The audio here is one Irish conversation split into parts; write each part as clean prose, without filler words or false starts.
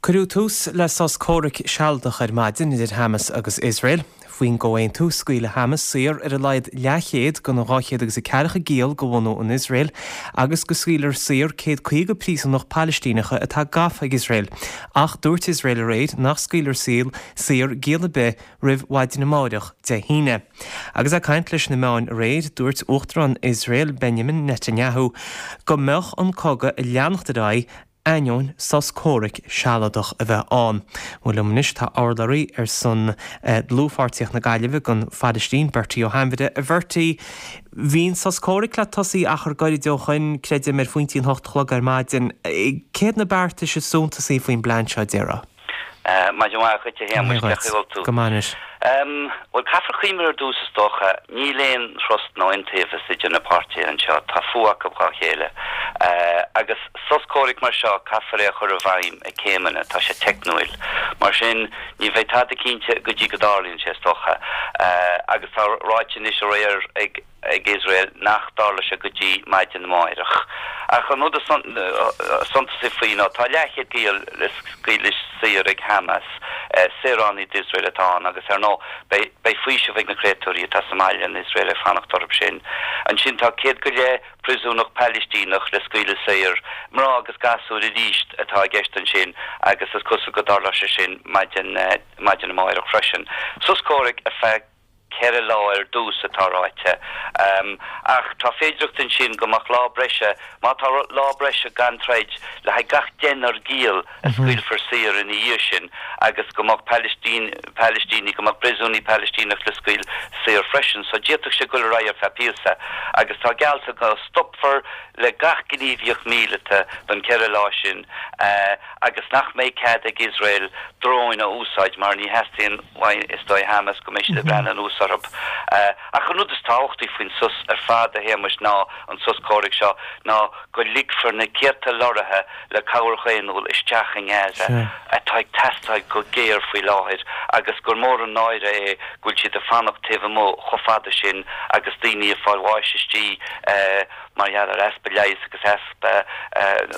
Cuireadh tús le sos comhraic sealadach ar maidin idir Hamas agus Iosrael. Faoin gcomhaontú, scaoilfidh Hamas saor ar a laghad leathchéad de na 240 giall de bhunadh an Iosrael agus go scaoilfear saor 150 príosúnach Palaistíneacha atá gafa ag Iosrael. Ach dúirt Iosrael aréir nach scaoilfear saor giall ar bith roimh mhaidin amáireach, Dé hAoine. Agus é ag caint leis na meáin aréir, dúirt Uachtarán Iosrael Benjamin Netanyahu go mbeadh an cogadh ag leanacht ar aghaidh ainneoin sos comhraic sealadach a bheith ann. Bhuel liom anois tá urlabhraí ar son Dlúthpháirtíocht na Gaillimhe don Phailistín, Bertie Ó hAinmhire. A Bhertie, bhí an sos comhraic le tosaí achar gairid ó shoin, creidim, ar phointí an hocht a chlog ar maidin. Céard na beartais is suntasaí faoin bplean seo, déarfá? Maidin mhaith dhuit, a Shéamais, cén chaoi a bhfuil tú? Go maith anois. Bhuel, caithfear cuimhneamh ar dtús is dócha, níl aon trust nó iontaobhas idir na páirtithe anseo, tá fuath acu dhá chéile. Agus sos comhraic mar seo, caithfear é a chur i bhfeidhm i céimeanna, tá sé teicniúil. Mar sin, ní bheidh tada cinnte go dtí go dtarlaíonn sé, is dócha. Agus tá ráite anois aréir ag. ag Iosrael nach dtarlóidh sé go dtí maidin amáireach. Ach an rud is suntasaí faoi ná tá leathchéad giall le scaoileadh saor ag Hamas, saoránaigh d'Iosrael atá ann agus ar ndóigh beidh beidh faoiseamh ag na créatúirí atá sa mbaile in Iosrael ag fanacht orthu sin. Ansin tá 100 go leith príosúnach Palaistíneach le scaoileadh saor, mná agus gasúir arís atá i gceist ansin agus is cosúil go dtarlóidh sé sin maidin maidin amáireach freisin. Sos comhraic ar feadh 4 lá ar dtús atá ráite. Ach tá féidireacht ansin go mbeadh lá breise, má tá lá breise gan troid le haghaidh gach deichniúr giall a scaoilfear saor ina dhiaidh sin agus go mbeadh Palaistínigh, go mbeadh príosúnaigh Palaistíneach le scaoil saor freisin. So d'fhéadfadh sé dul ar aghaidh ar feadh píosa. Agus tá geallta go stopfar le gach gníomhaíocht míleata don 4 lá sin agus nach mbeidh cead ag Iosrael dróin a úsáid mar ní theastaíonn uaidh, is dóigh, Hamas go mbeidh siad ag breathnú anuas orthu. Ach an rud is tábhachtaí faoin sos ar fad, a Shéamais, ná an sos comhraic seo, ná go ligfear na céadta lorraithe le cabhair dhaonnúil isteach i nGaza, atá ag teastáil go géar faoi láthair, agus gur mór an náire é go bhfuil siad ag fanacht taobh amuigh chomh fada sin agus daoine ag fáil bháis istigh mar gheall ar easpa leighis agus easpa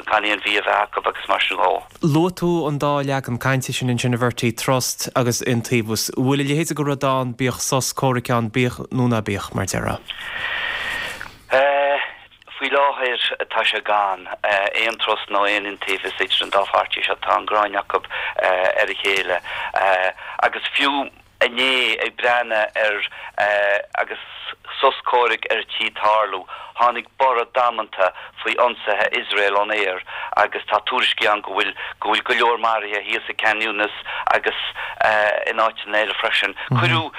gan aon bhia a bheith acu agus mar sin dhó. Luaigh tú an dá leagan cainte sin ansin, a Bhertie, trust agus iontaobhas. Bhfuil a leithéid de rud ann, bíodh sos comhraic ann, bíodh nó ná bíodh, mar déarfá? Faoi láthair tá sé gan aon trust nó aon iontaobhas idir an dá pháirtí seo. Tá an ghráin acu ar a chéile agus fiú inné ag breathnú ar agus sos comhraic ar tí tarlú, tháinig borradh damanta faoi ionsaithe Iosrael ón aer agus tá tuairiscí ann go bhfuil go bhfuil go leor maraithe thíos i Khan Younis agus in áiteanna eile freisin. Cuireadh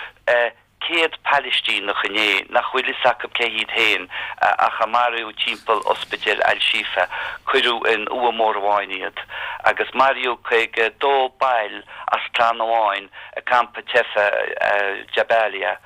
100 Palaistíneach inné nach bhfuil fhios acu cé hiad féin ach a maraíodh timpeall ospidéal Al-Shifa, cuireadh in uaigh mhór amháin iad agus maraíodh 52 baill as clann amháin i gcampa teifeach Jabalia.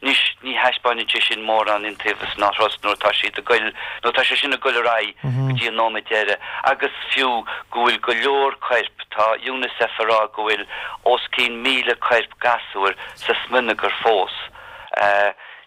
Anois, ní thaispeáineann sé sin mórán iontaobhas ná trust nuair atá siad ag goil, nuair atá sé sin ag goil ar aghaidh go dtí an nóiméad deiridh. Agus fiú go bhfuil go leor coirp, tá Unicef ag rá go bhfuil os cionn 1,000 coirp gasúir sa smionagar fós.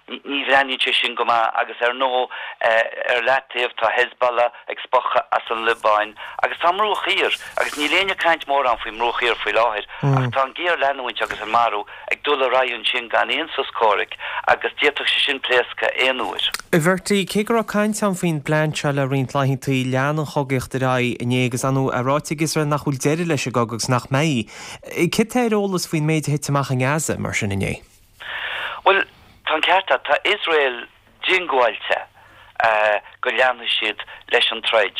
Ní bhreathnaíonn sé sin go maith agus ar ndóigh ar leataobh tá Hezbollah ag spochadh as an Liobáin agus tá an Mbruach Thiar agus níl éinne ag caint mórán faoin mBruach Thiar faoi láthair ach tá an géarleanúint agus an marú ag dul ar aghaidh ansin gan aon sos comhraic agus d'fhéadfadh sé sin pléascadh aon uair. A Bhertie, cé go raibh caint ann faoin bplean seo le roinnt laethantaí, lean an chogaíocht ar aghaidh inné agus ar ndóigh é ráite ag Iosrael nach bhfuil deireadh leis an gcogadh agus nach mbeidh. Céard tá ar eolas faoin méid a thit amach i nGaza mar sin inné? Bhuel, tá an ceart agat. Tá Iosrael diongbháilte go leanfaidh siad leis an troid.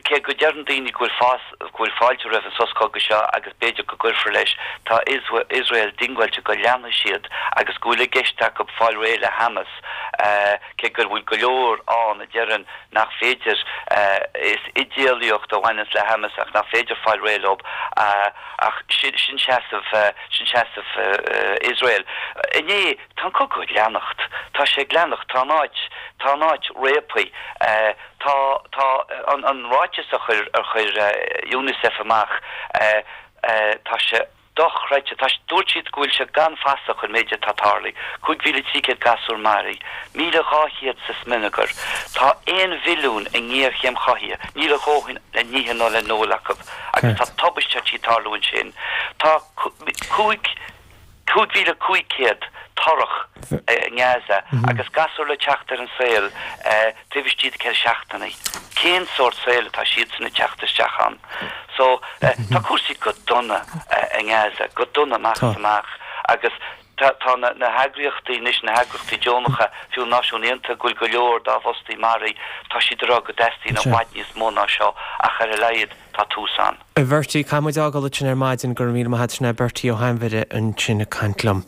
Cé go ndeireann daoine go bhfuil go bhfuil fáilte roimh an sos cogaidh seo agus b'fhéidir go gcuirfear leis, tá Iosrael diongbháilte go leanfaidh siad agus go bhfuil i gceist acu fáil réidh le Hamas, cé go bhfuil go leor ann a deireann nach féidir, is idéalaíocht a bhaineanns le Hamas ach nach féidir fáil réidh leo. Ach sin seasamh, sin seasamh Iosrael. Inné, tá an cogadh ag leanacht. Tá sé ag leanacht. Tá an áit, tá an áit réabtha. Tá, tá an, an ráiteas a chuir, a chuir Unicef amach, tá sé. Dochreidte. Tá, dúirt siad go bhfuil sé gan fasach an méid atá tarlaithe. 5,300 gasúr maraithe. 1,200 sa smionagar. Tá 1 mhilliún i ngéarchéim chothaithe. Níl a dhóthain le n-ithe ná le n-ól acu. Agus tá tubaiste ar tí tarlú ansin. Tá 5,500 torrach i nGaza agus gasúr le teacht ar an saol taobh istigh de 4 seachtainí. Cén sórt saoil atá siadsan ag teacht isteach ann? So, tá cúrsaí go dona i nGaza, go dona amach is amach agus tá tá na na heagraíochtaí anois, na heagraíochtaí deonacha, fiú na Náisiúin Aontaithe, go bhfuil go leor dá bhfostaí maraithe, tá siad ag rá go dteastaíonn i bhfad níos mó ná seo ach ar a laghad tá tús ann. A Bhertie, caithfidh muid fhágáil ansin ar maidin, go raibh míle maith agat, sin é Bertie Ó hAinmhire ansin ag caint liom.